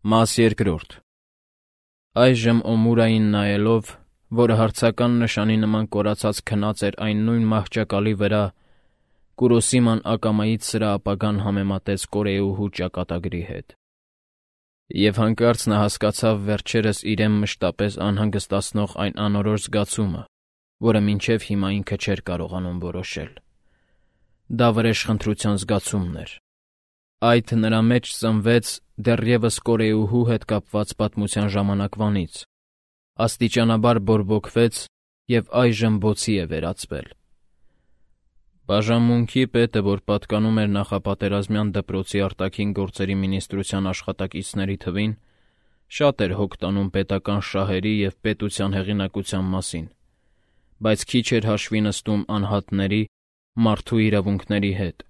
Մաս երկրորդ։ Այժմ Օմուրային նայելով, որը հարցական նշանի նման կորացած քնած էր այն նույն մահճակալի վրա, Կուրոսիման ակամայից սրա ապագան համեմատեց կորեուհու ճակատագրի հետ։ Եվ հանկարծ նա հասկացավ վերջերս իրեն մշտապես անհանգստացնող այն անորոշ զգացումը, որը մինչև հիմա ինքը չէր կարողանում որոշել։ Դա վրեժխնդրության զգացումն էր։ Այդ նրա մեջ ծնվեց դեռևս կորեուհու հետ կապված պատմության ժամանակվանից, աստիճանաբար բորբոքվեց և այժմ բոցի է վերածվել։ Բաժանմունքի պետը, որ պատկանում էր նախապատերազմյան դպրոցի արտաքին գործերի մինիստրության աշխատակիցների թվին, շատ էր հոգ տանում պետական շահերի և պետության հեղինակության մասին, բայց քիչ էր հաշվի նստում անհատների, մարդու իրավունքների հետ։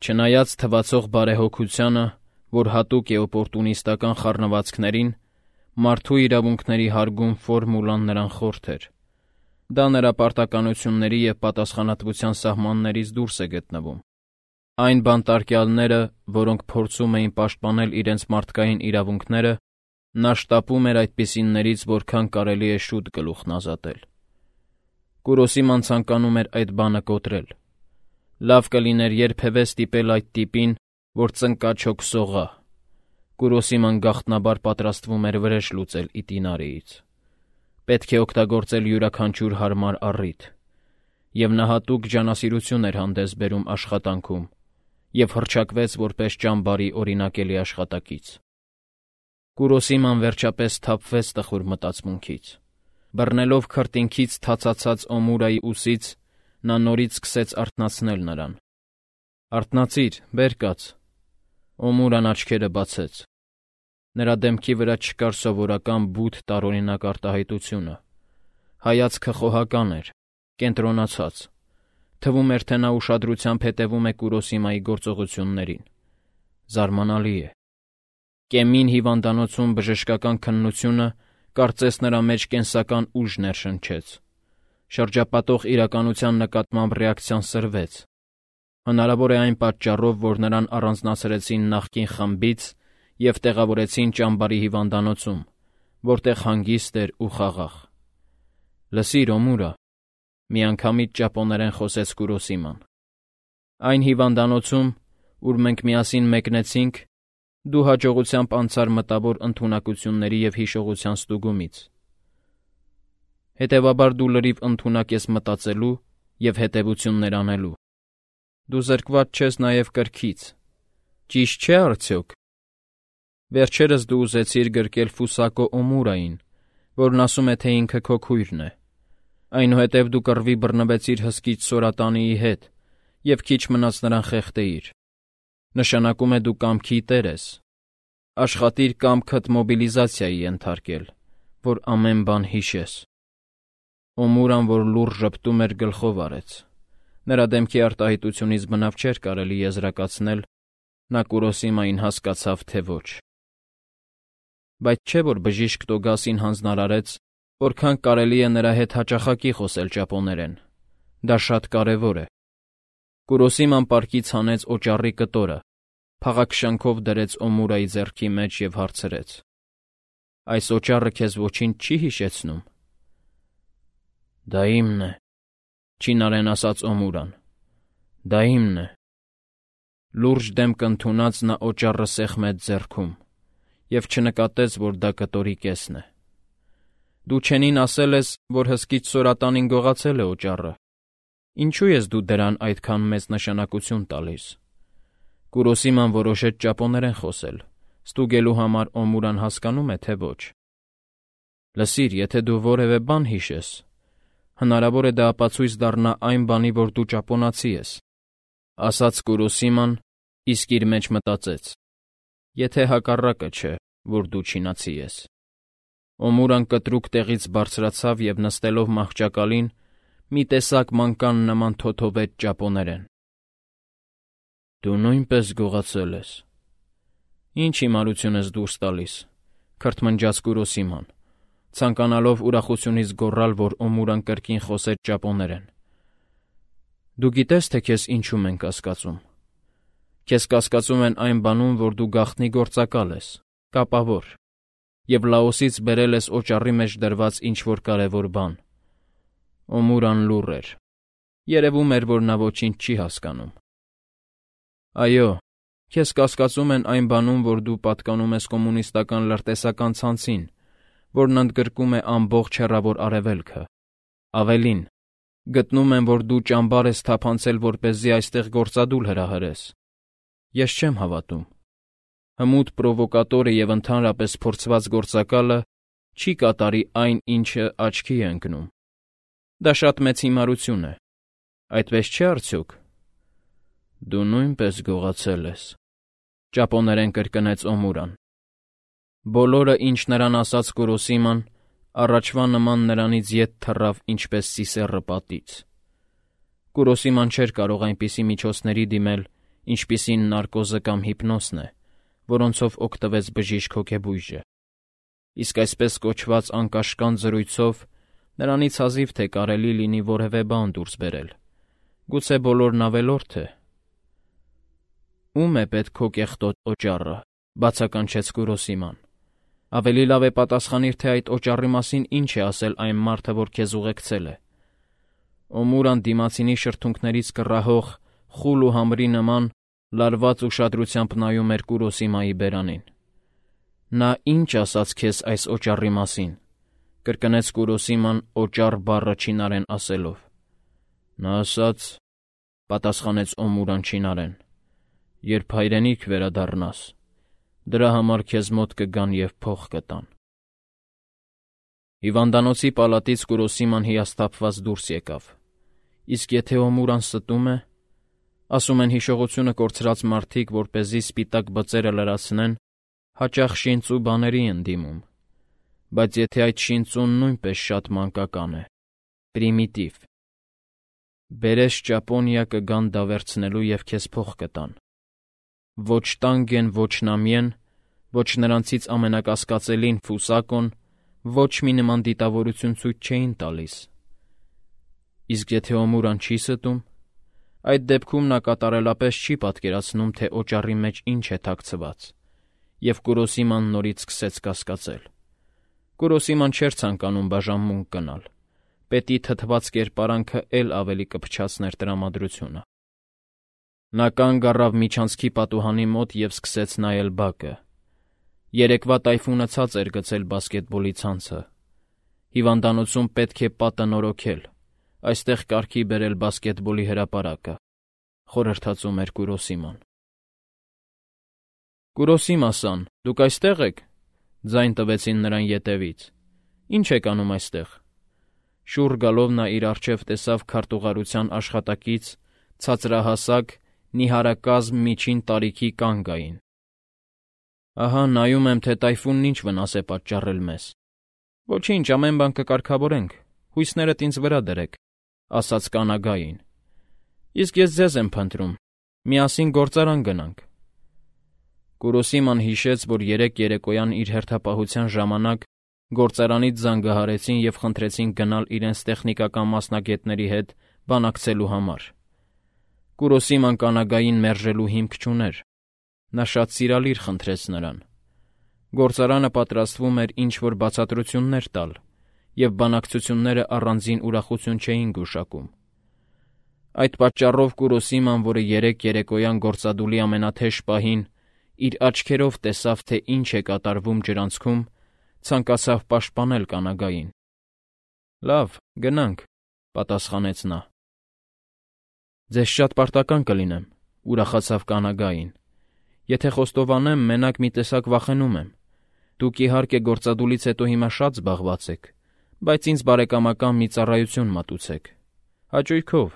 Չնայած թվացող բարեհոգությանը, որ հատուկ է օպորտունիստական խառնվածքներին, մարդու իրավունքների հարգում ֆորմուլան նրան խորթ էր։ Դա նրա պարտականությունների և պատասխանատվության սահմաններից դուրս է գտնվում։ Այն բանտարկյալները, որոնք փորձում էին պաշտպանել իրենց մարդկային իրավունքները, նա շտապում էր այդպիսիներից որքան կարելի է շուտ գլուխն ազատել։ Կուրոսիման ցանկանում էր այդ բանը կոտրել։ Լավ կլիներ երբևէ ստիպել այդ տիպին, որ ծնկաչոք սողա։ Կուրոսիման գաղտնաբար պատրաստվում էր վրեժ լուծել Իտինարիից։ Պետք է օգտագործել յուրաքանչյուր հարմար առիթ։ Եվ նա հատուկ ջանասիրություն էր հանդես բերում աշխատանքում և հռչակվեց որպես ճամբարի օրինակելի աշխատակից։ Կուրոսիման վերջապես սթափվեց տխուր մտածմունքից։ Բռնելով քրտինքից թացացած Օմուրայի ուսից, նա նորից սկսեց արթնացնել նրան։ «Արթնացիր, բեր կաց»։ Օմուրան աչքերը բացեց։ Նրա դեմքի վրա չկար սովորական բութ տարօրինակ արտահայտությունը։ Հայացքը խոհական էր, կենտրոնացած։ Թվում էր, թե նա ուշադրությամբ հետևում է Կուրոսիմայի գործողություններին։ Զարմանալի է։ Կեմին հիվանդանոցում բժշկական քննությունը կարծես նրա մեջ կենսական ուժ ներշնչեց։ Շրջապատող իրականության նկատմամբ ռեակցիան սրվեց։ Հնարավոր է այն պատճառով, որ նրան առանձնացրեցին նախկին խմբից և տեղավորեցին ճամբարի հիվանդանոցում, որտեղ հանգիստ էր ու խաղաղ։ «Լսիր, Օմուրա», միանգամից ճապոներեն խոսեց Կուրոսիման։ «Այն հիվանդանոցում, ուր մենք միասին մեկնեցինք, դու հաջողությամբ անցար մտավոր ընդունակությունների և հիշողության ստուգումից։ Հետևաբար դու լրիվ ընդունակ ես մտածելու և հետևություններ անելու։ Դու զրկված չես նաև կրքից։ Ճիշտ չէ՞ արդյոք։ Վերջերս դու ուզեցիր գրկել Ֆուսակո Օմուրային, որն ասում է, թե ինքը քո քույրն է։ Այնուհետև դու կռվի բռնվեցիր հսկիչ Սորատանիի հետ և քիչ մնաց նրան խեղդեիր։ Նշանակում է դու կամքի տեր ես։ Աշխատիր կամքդ մոբիլիզացիայի ենթարկել, որ ամեն բան հիշես»։ Օմուրան, որ լուռ ժպտում էր, գլխով արեց։ Նրա դեմքի արտահայտությունից բնավ չէր կարելի եզրակացնել, նա Կուրոսիմային հասկացավ, թե ոչ։ Բայց չէ՞ որ բժիշկ Տոգասին հանձնարարեց, որքան կարելի է նրա հետ հաճախակի խոսել ճապոներեն։ Դա շատ կարևոր է։ Կուրոսիման պարկից հանեց օճառի կտորը, փաղաքշանքով դրեց Օմուրայի ձեռքի մեջ և հարցրեց. «Այս օճառը քեզ ոչինչ չի հիշեցնում»։ «Դա իմն է», չինարեն ասաց Օմուրան։ «Դա իմն է»։ Լուրջ դեմք ընդունած նա օճառը սեղմեց ձեռքում և չնկատեց, որ դա կտորի կեսն է։ «Դու Չենին ասել ես, որ հսկիչ Սորատանին գողացել է օճառը։ Ինչու ես դու դրան այդքան մեծ նշանակություն տալիս»։ Կուրոսիման որոշեց ճապոներեն խոսել, ստուգելու համար Օմուրան հասկանո՞ւմ է, թե ոչ։ «Լսիր, եթե դու որևէ բան հիշես, հնարավոր է դա ապացույց դառնա այն բանի, որ դու ճապոնացի ես», ասաց Կուրոսիման, իսկ իր մեջ մտածեց. «Եթե հակառակը չէ, որ դու չինացի ես»։ Օմուրան կտրուկ տեղից բարձրացավ և նստելով մահճակալին, մի տեսակ մանկան նման թոթովեց ճապոներեն։ «Դու նույնպես գողացել ես։ Ինչ հիմարություն ես դուրս տալիս», քրթմնջաց Կուրոսիման, ցանկանալով ուրախությունից գոռալ, որ Օմուրան կրկին խոսեց ճապոներեն։ «Դու գիտես, թե քեզ ինչում են կասկածում։ Քեզ կասկածում են այն բանում, որ դու գաղտնի գործակալ ես, կապավոր, և Լաոսից բերել ես օճառի մեջ դրված ինչ-որ կարևոր բան։ Օմուրան լուռ էր։ Երևում էր, որ նա ոչինչ չի հասկանում։ Այո, քեզ կասկածում են այն բանում, որ դու պատկանում ես կոմունիստական լրտեսական ցանցին, որն ընդգրկում է ամբողջ հեռավոր Արևելքը։ Ավելին, գտնում եմ, որ դու ճամբար ես թափանցել, որպեսզի այստեղ գործադուլ հրահրես։ Ես չեմ հավատում։ Հմուտ պրովոկատորը և ընդհանրապես փորձված գործակալը չի կատարի այն, ինչը աչքի է ընկնում։ Դա շատ մեծ հիմարություն է։ Այդպես չէ՞ արդյոք։ Դու նույնպես գողացել ես, ճապոներեն կրկնեց Օմուրան։ Բոլորը, ինչ նրան ասաց Կուրոսիման, առաջվա նման նրանից ետ թռավ ինչպես սիսեռը պատից։ Կուրոսիման չէր կարող այնպիսի միջոցների դիմել, ինչպիսին նարկոզը կամ հիպնոսն է, որոնցով օգտվեց բժիշկ հոգեբույժը։ Իսկ այսպես կոչված անկաշկանդ զրույցով նրանից հազիվ թե կարելի լինի որևէ բան դուրս բերել։ Գուցե բոլորն ավելորդ է։ Ո՞ւմ է պետք քո կեղտոտ օճառը, բացականչեց Կուրոսիման։ Ավելի լավ է պատասխանիր, թե այդ օճառի մասին ինչ է ասել այն մարդը, որ քեզ ուղեկցել է։ Օմուրան դիմացինի շրթունքներից կռահող խուլ ու համրի նման լարված ուշադրությամբ նայում էր Կուրոսիմայի բերանին։ Նա ինչ ասաց քեզ այս օճառի մասին, կրկնեց Կուրոսիման օճառ բառը չինարեն ասելով։ Նա ասաց, պատասխանեց Օմուրան չինարեն, երբ հայրենիք վերադառնաս, դրա համար քեզ մոտ կգան և փող կտան։ Հիվանդանոցի պալատից Կուրոսիման հիասթափված դուրս եկավ։ Իսկ եթե Օմուրան ստում է, ասում են հիշողությունը կորցրած մարդիկ, որպեսզի սպիտակ բծերը լրացնեն, հաճախ շինծ ու բաների են դիմում, բայց եթե այդ շինծուն նույնպես շատ մանկական է, պրիմիտիվ, բերես Ճապոնիա կգան դա վերցնելու և քեզ փող կտան։ Ոչ Տանգեն, ոչ Նամիեն, ոչ նրանցից ամենակասկածելին Ֆուսակոն ոչ մի նման դիտավորություն ցույց չէին տալիս։ Իսկ եթե Օմուրան չի ստում, այդ դեպքում նա կատարելապես չի պատկերացնում, թե օճառի մեջ ինչ է թաքցված, և Կուրոսիման նորից սկսեց կասկածել։ Կուրոսիման չէր ցանկանում բաժանմունք գնալ։ Պետի թթված կերպարանքը էլ ավելի կփչացներ տրամադրությունը։ Նա կանգ առավ միջանցքի պատուհանի մոտ և սկսեց նայել բակը։ Երեկվա տայֆունը ցած էր գցել բասկետբոլի ցանցը։ Հիվանդանոցում պետք է պատը նորոգել, այստեղ կարգի բերել բասկետբոլի հրապարակը, խորհրդածում էր Կուրոսիման։ Կուրոսիմա-սան, դուք այստեղ եք, ձայն տվեցին նրան ետևից։ Ինչ եք անում այստեղ։ Շուռ գալով նա իր առջև տեսավ քարտուղարության աշխատակից, ցածրահասակ, նիհարակազմ միջին տարիքի կանգային։ Ահա նայում եմ, թե տայֆունն ինչ վնաս է պատճառել մեզ։ Ոչինչ, ամեն բան կկարգավորենք, հույսներդ ինձ վրա դրեք, ասաց կանագային։ Իսկ ես ձեզ եմ փնտրում, միասին գործարան գնանք։ Կուրոսիման հիշեց, որ երեկ երեկոյան իր հերթապահության ժամանակ գործարանից զանգահարեցին և խնդրեցին գնալ իրենց տեխնիկական մասնագետների հետ բանակցելու համար։ Կուրոսիման կանագային մերժելու հիմք չուներ։ Նա շատ սիրալիր խնդրեց նրան։ Գործարանը պատրաստվում էր ինչ-որ բացատրություններ տալ, և բանակցությունները առանձին ուրախություն չէին գուշակում։ Այդ պատճառով Կուրոսիման, որը երեկ երեկոյան գործադուլի ամենաթեժ պահին իր աչքերով տեսավ, թե ինչ է կատարվում ջրանցքում, ցանկացավ պաշտպանել կանագային։ Լավ, գնանք, պատասխանեց նա։ Ձեզ շատ պարտական կլինեմ, ուրախացավ կանագային։ Եթե խոստովանեմ, մենակ մի տեսակ վախենում եմ։ Դուք իհարկե գործադուլից հետո հիմա շատ զբաղված եք, բայց ինձ բարեկամական մի ծառայություն մատուցեք։ Հաճույքով։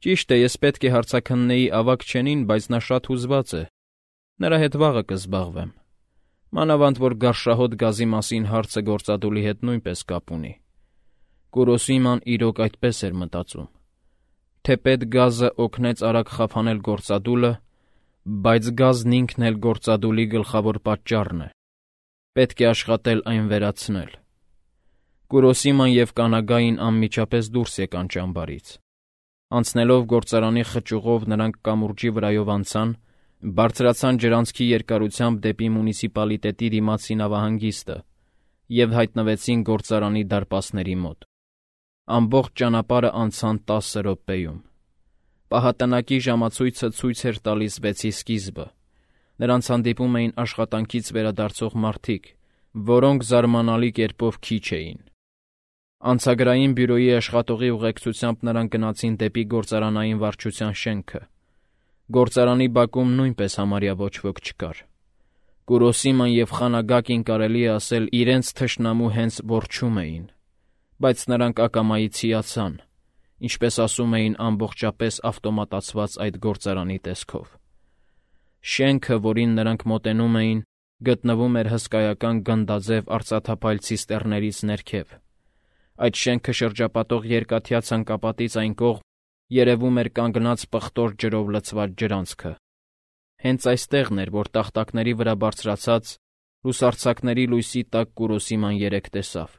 Ճիշտ է, ես պետք է հարցաքննեի ավագ Չենին, բայց նա շատ հուզված է։ Նրա հետ վաղը կզբաղվեմ։ Մանավանդ, որ գարշահոտ գազի մասին հարցը գործադուլի հետ նույնպես կապ ունի։ Կուրոսիման իրոք այդպես էր մտածում։ Թեպետ գազը օգնեց արագ խափանել գործադուլը, բայց գազն ինքն էլ գործադուլի գլխավոր պատճառն է։ Պետք է աշխատել այն վերացնել։ Կուրոսիման և կանագային անմիջապես դուրս եկան ճամբարից։ Անցնելով գործարանի խճուղով նրանք կամուրջի վրայով անցան, Բարձրացան ջրանցքի երկարությամբ դեպի մունիցիպալիտետի դիմացի նավահանգիստը և հայտնվեցին գործարանի դարպասների մոտ։ Ամբողջ ճանապարհը անցան 10 րոպեում։ Պահատնակի ժամացույցը ցույց էր տալիս 6-ի սկիզբը։ Նրանց հանդիպում էին աշխատանքից վերադարձող մարդիկ, որոնք զարմանալի կերպով քիչ էին։ Անցագրային բյուրոյի աշխատողի ուղեկցությամբ նրանք գնացին դեպի գործարանային վարչության շենքը։ Գործարանի բակում նույնպես համարյա ոչ ոք չկար։ Կուրոսիման և Խանագակին կարելի է ասել իրենց թշնամու հենց որջում էին, բայց նրանք ակամայից հիացան, ինչպես ասում էին ամբողջապես ավտոմատացված այդ գործարանի տեսքով։ Շենքը, որին նրանք մոտենում էին, գտնվում էր հսկայական գնդաձև արծաթափայլ ցիստեռներից ներքև։ Այդ շենքը շրջապատող երկաթյա ցանկապատից այն կողմ երևում էր կանգնած պղտոր ջրով լցված ջրանցքը։ Հենց այստեղն էր, որ տախտակների վրա բարձրացած լուսարձակների լույսի տակ Կուրոսիման երեկ տեսավ։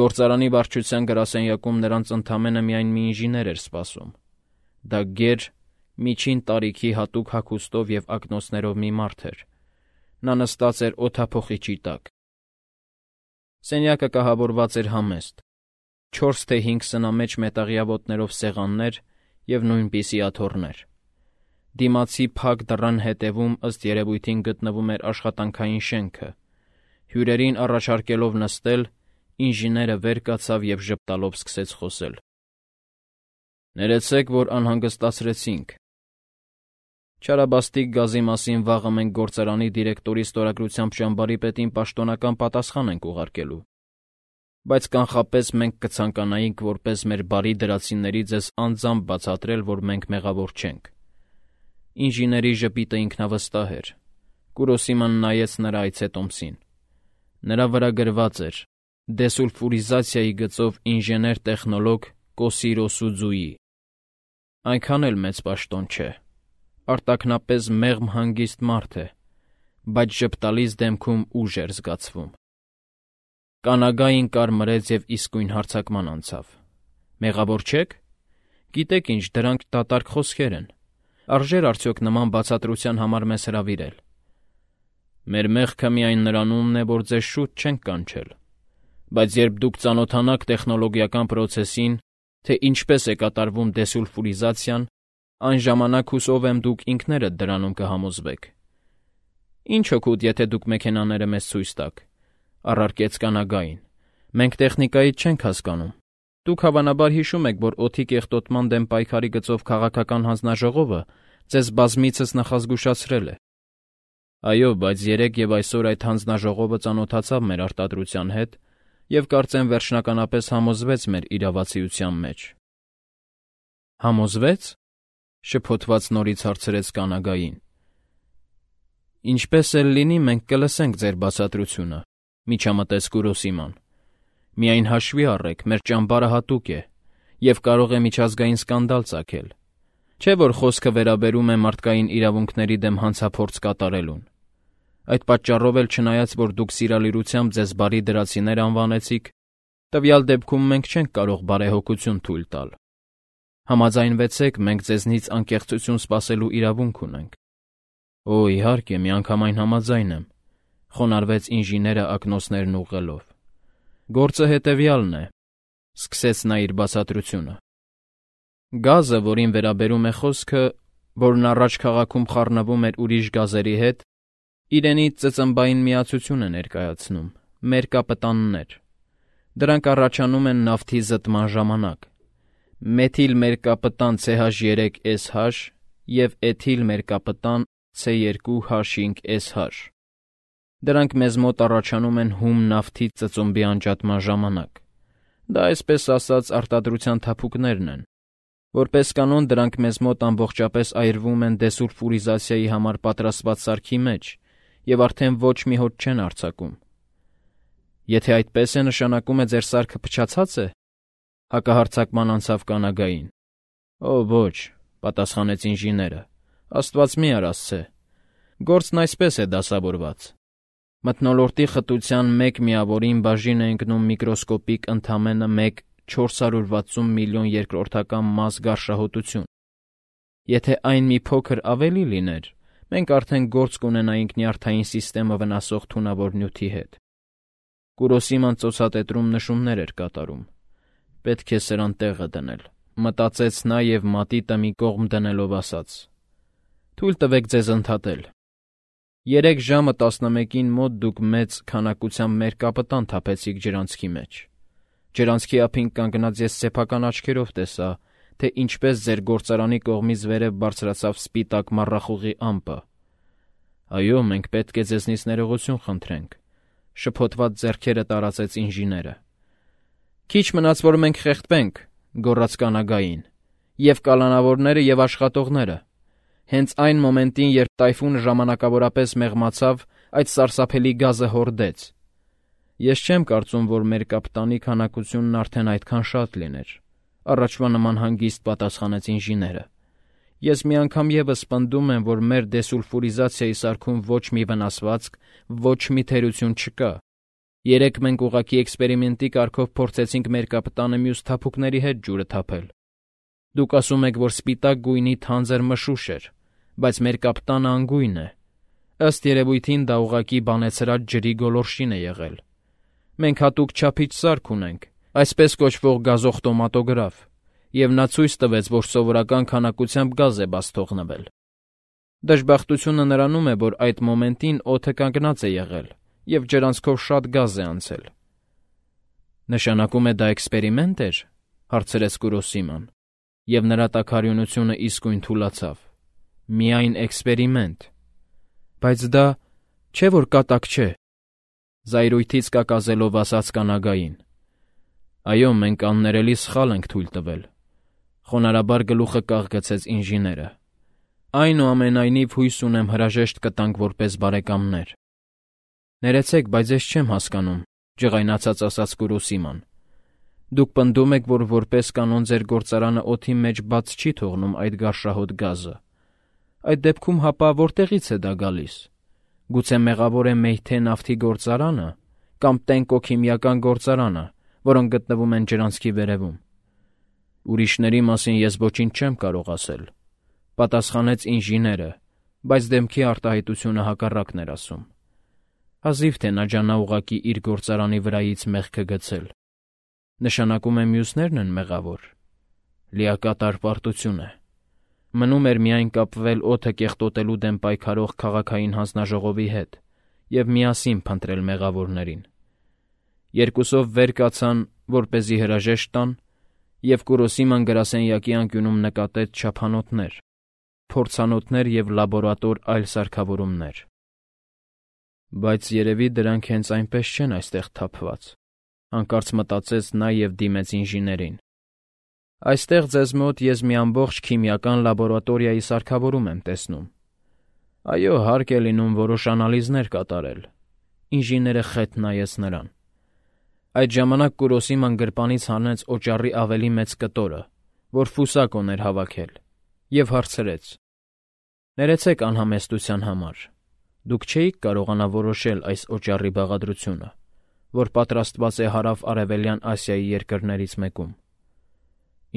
Գործարանի վարչության գրասենյակում նրանց ընդամենը միայն մի ինժեներ էր սպասում։ Դա գեր, միջին տարիքի հատուկ հագուստով և ակնոցներով մի մարդ էր։ Նա նստած էր օդափոխիչի տակ։ Սենյակը կահավորված էր համեստ։ 4 թե 5 սնամեջ մետաղյա ոտներով սեղաններ և նույնպիսի աթոռներ։ Դիմացի փակ դռան հետևում ըստ երևույթին գտնվում էր աշխատանքային շենքը։ Հյուրերին առաջարկելով նստել, ինժեները վեր կացավ և ժպտալով սկսեց խոսել։ «Ներեցեք, որ անհանգստացրեցինք։ Չարաբաստիկ գազի մասին վաղը մենք գործարանի դիրեկտորի ստորագրությամբ ճամբարի պետին պաշտոնական պատասխան ենք ուղարկելու, բայց կանխապես մենք կցանկանայինք որպես մեր բարի դրացիների ձեզ անձամբ բացատրել, որ մենք մեղավոր չենք»։ Ինժեների ժպիտը ինքնավստահ էր։ Կուրոսիման նայեց նրա այցետոմսին։ Նրա վրա գրված էր «Դեսուլֆուրիզացիայի գծով ինժեներ-տեխնոլոգ Կոսիրո Սուձուի»։ Այնքան էլ մեծ պաշտոն չէ։ Արտաքնապես մեղմ հանգիստ մարդ է, բայց ժպտալից դեմքում ուժ էր զգացվում։ Կանագային կարմրեց և իսկույն հարձակման անցավ։ «Մեղավոր չեք։ Գիտեք ինչ, դրանք դատարկ խոսքեր են։ Արժե՞ր արդյոք նման բացատրության համար մեզ հրավիրել։ Մեր մեղքը միայն նրանումն է, որ ձեզ շուտ չենք կանչել։ Բայց երբ դուք ծանոթանաք տեխնոլոգիական պրոցեսին, թե ինչպես է կատարվում դեսուլֆուրիզացիան, այն ժամանակ հուսով եմ դուք ինքներդ դրանում կհամոզվեք։ Ինչ օգուտ, եթե դուք մեքենաները մեզ ցույց տաք», առարկեց Կանագային։ «Մենք տեխնիկայից չենք հասկանում։ Դուք հավանաբար հիշում եք, որ օդի կեղտոտման դեմ պայքարի գծով քաղաքական հանձնաժողովը ձեզ բազմիցս նախազգուշացրել է։ Այո, բայց երեկ և այսօր այդ հանձնաժողովը ծանոթացավ մեր արտադրության հետ և կարծեմ վերջնականապես համոզվեց մեր իրավացիության մեջ»։ «Համոզվեց», շփոթված նորից հարցրեց Կանագային։ «Ինչպես էլ լինի, մենք կլսենք ձեր բացատրությունը», միջամտեց Կուրոսիման։ «Միայն հաշվի առեք, մեր ճամբարը հատուկ է և կարող է միջազգային սկանդալ ծագել։ Չէ՞ որ խոսքը վերաբերում է մարդկային իրավունքների դեմ հանցափորձ կատարելուն։ Այդ պատճառով էլ չնայած, որ դուք սիրալիրությամբ ձեզ բարի դրացիներ անվանեցիք, տվյալ դեպքում մենք չենք կարող բարեհոգություն թույլ տալ։ Համաձայնվեցեք, մենք ձեզնից անկեղծություն սպասելու իրավունք ունենք»։ «Օ, իհարկե, միանգամայն համաձայն եմ», խոնարհվեց ինժեները ակնոցներն ուղղելով։ «Գործը հետևյալն է», սկսեց նա իր բացատրությունը։ «Գազը, որին վերաբերում է խոսքը, որն առաջ քաղաքում խառնվում էր ուրիշ գազերի հետ, իրենից ծծմբային միացություն է ներկայացնում՝ մերկապտաններ։ Դրանք առաջանում են նավթի զտման ժամանակ։ Մեթիլմերկապտան CH3SH և էթիլմերկապտան C2H5SH։ Դրանք մեզ մոտ առաջանում են հում նավթի ծծումբի անջատման ժամանակ։ Դա այսպես ասած արտադրության թափուկներն են։ Որպես կանոն դրանք մեզ մոտ ամբողջապես այրվում են դեսուլֆուրիզացիայի համար պատրաստված սարքի մեջ և արդեն ոչ մի հոտ չեն արձակում։ Եթե այդպես է, նշանակում է ձեր սարքը փչացած է, հակահարձակման անցավ Կանագային։ Օ, ոչ, պատասխանեց ինժեները, Աստված մի արասցե։ Գործն այսպես է դասավորված։ Մթնոլորտի խտության մեկ միավորին բաժին է ընկնում միկրոսկոպիկ ընդամենը մեկ 460 միլիոն երկրորդական մաս գարշահոտություն։ Եթե այն մի փոքր ավելի լիներ, մենք արդեն գործ կունենայինք նյարդային սիստեմը վնասող թունավոր նյութի հետ։ Կուրոսիման ծոցատետրում նշումներ էր կատարում։ Պետք է սրան տեղը դնել, մտածեց նա և մատիտը մի կողմ դնելով ասաց. «Թույլ տվեք ձեզ ընդհատել։ 3 ժամը 11-ին մոտ դուք մեծ քանակությամբ մեր կապտան թափեցիք ջրանցքի մեջ։ Ջրանցքի ափին կանգնած ես սեփական աչքերով տեսա, թե ինչպես ձեր գործարանի կողմից վերև բարձրացավ սպիտակ մառախուղի ամպը։ Այո, մենք պետք է ձեզնից ներողություն խնդրենք», շփոթված ձեռքերը տարածեց ինժեները։ «Քիչ մնաց, որ մենք խեղդվենք», գոռաց կանագային, «և կալանավորները և աշխատողները։ Հենց այն մոմենտին, երբ տայֆունը ժամանակավորապես մեղմացավ, այդ սարսափելի գազը հորդեց։ Ես չեմ կարծում, որ մեր կապտանի քանակությունն արդեն այդքան շատ լիներ», առաջվա նման հանգիստ պատասխանեց ինժեները։ «Ես մի անգամ ևս պնդում եմ, որ մեր դեսուլֆուրիզացիայի սարքում ոչ մի վնասվածք, ոչ մի թերություն չկա։ Երեկ մենք ուղղակի էքսպերիմենտի կարգով փորձեցինք մեր կապտանը մյուս թափուկների հետ ջուրը թափել։ Դուք ասում եք, որ սպիտակ գույնի թանձր մշուշ էր, բայց մեր կապտանը անգույն է։ Ըստ երևույթին դա ուղղակի բանեցրած ջրի գոլորշին է եղել։ Մենք հատուկ չափիչ սարք ունենք, այսպես կոչվող գազօխտոմատոգրաֆ, և նա ցույց տվեց, որ սովորական քանակությամբ գազ է բաց թողնվել։ Դժբախտությունը նրանում է, որ այդ մոմենտին օդը կանգնած է եղել, և ջրանցքով շատ գազ է անցել»։ «Նշանակում է դա էքսպերիմենտ էր», հարցրեց Կուրոսիման, և նրա տաքարյունությունը իսկույն թուլացավ։ «Միայն էքսպերիմենտ»։ «Բայց դա չէ՞ որ կատակ չէ», զայրույթից կակազելով ասաց կանագային։ «Այո, մենք աններելի սխալ ենք թույլ տվել», խոնարհաբար գլուխը կաղգցեց ինժեները։ «Այնուամենայնիվ հույս ունեմ հրաժեշտ կտանք որպես բարեկամներ»։ «Ներեցեք, բայց ես չեմ հասկանում», ջղայնացած ասաց Կուրոսիման։ «Դուք պնդում եք, որ որպես կանոն ձեր գործարանը օդի մեջ բաց չի թողնում այդ գարշահոտ գազը։ Այդ դեպքում հապա որտեղից է դա գալիս։ Գուցե մեղավոր է Մեյթե նավթի գործարանը կամ Տենկո քիմիական գործարանը, որոնք գտնվում են ջրանցքի վերևում»։ «Ուրիշների մասին ես ոչինչ չեմ կարող ասել», պատասխանեց ինժեները, բայց դեմքի արտահայտությունը հակառակն էր ասում։ Հազիվ թե նա ջանա ուղղակի իր գործարանի վրայից մեղքը գցել։ Նշանակում է մյուսներն են մեղավոր։ Լիակատար պարտություն է։ Մնում էր միայն կապվել օդը կեղտոտելու դեմ պայքարող քաղաքային հանձնաժողովի հետ և միասին փնտրել մեղավորներին։ Երկուսով վեր կացան, որպեսզի հրաժեշտ տան, և Կուրոսիման գրասենյակի անկյունում նկատեց չափանոթներ, փորձանոթներ և լաբորատոր այլ սարքավորումներ։ «Բայց երևի դրանք հենց այնպես չեն այստեղ թափված», հանկարծ մտածեց նա և դիմեց ինժեներին։ «Այստեղ ձեզ մոտ ես մի ամբողջ քիմիական լաբորատորիայի սարքավորում եմ տեսնում։ Այո, հարկ է լինում որոշ անալիզներ կատարել»։ Ինժեները խետ նայեց նրան։ Այդ ժամանակ Կուրոսիման գրպանից հանեց օճառի ավելի մեծ կտորը, որ ֆուսակ ուներ հավաքել, և հարցրեց. «Ներեցեք անհամեստության համար, դուք չէիք կարողանա որոշել այս օճառի բաղադրությունը, որ պատրաստված է Հարավ-Արևելյան Ասիայի երկրներից մեկում»։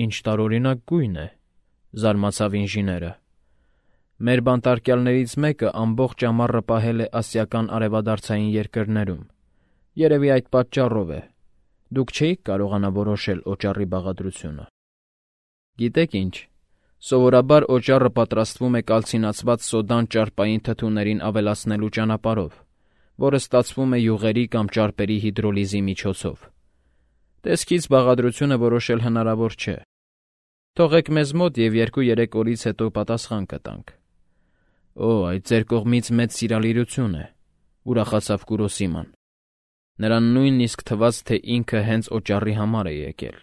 «Ինչ տարօրինակ գույն է», զարմացավ ինժեները։ «Մեր բանտարկյալներից մեկը ամբողջ ամառը պահել է ասիական արևադարձային երկրներում։ Երևի այդ պատճառով է։ Դուք չէիք կարողանա որոշել օճառի բաղադրությունը»։ «Գիտեք ինչ, սովորաբար օճառը պատրաստվում է կալցինացված սոդան ճարպային թթուներին ավելացնելու ճանապարհով, որը ստացվում է յուղերի կամ ճարպերի հիդրոլիզի միջոցով։ Տեսքից բաղադրությունը որոշել հնարավոր չէ։ Թողեք մեզ մոտ և 2-3 օրից հետո պատասխան կտանք»։ «Օ, այդ ձեր կողմից մեծ սիրալիրություն է», ուրախացավ Կուրոսիման։ Նրան նույնիսկ թվաց, թե ինքը հենց օճառի համար է եկել։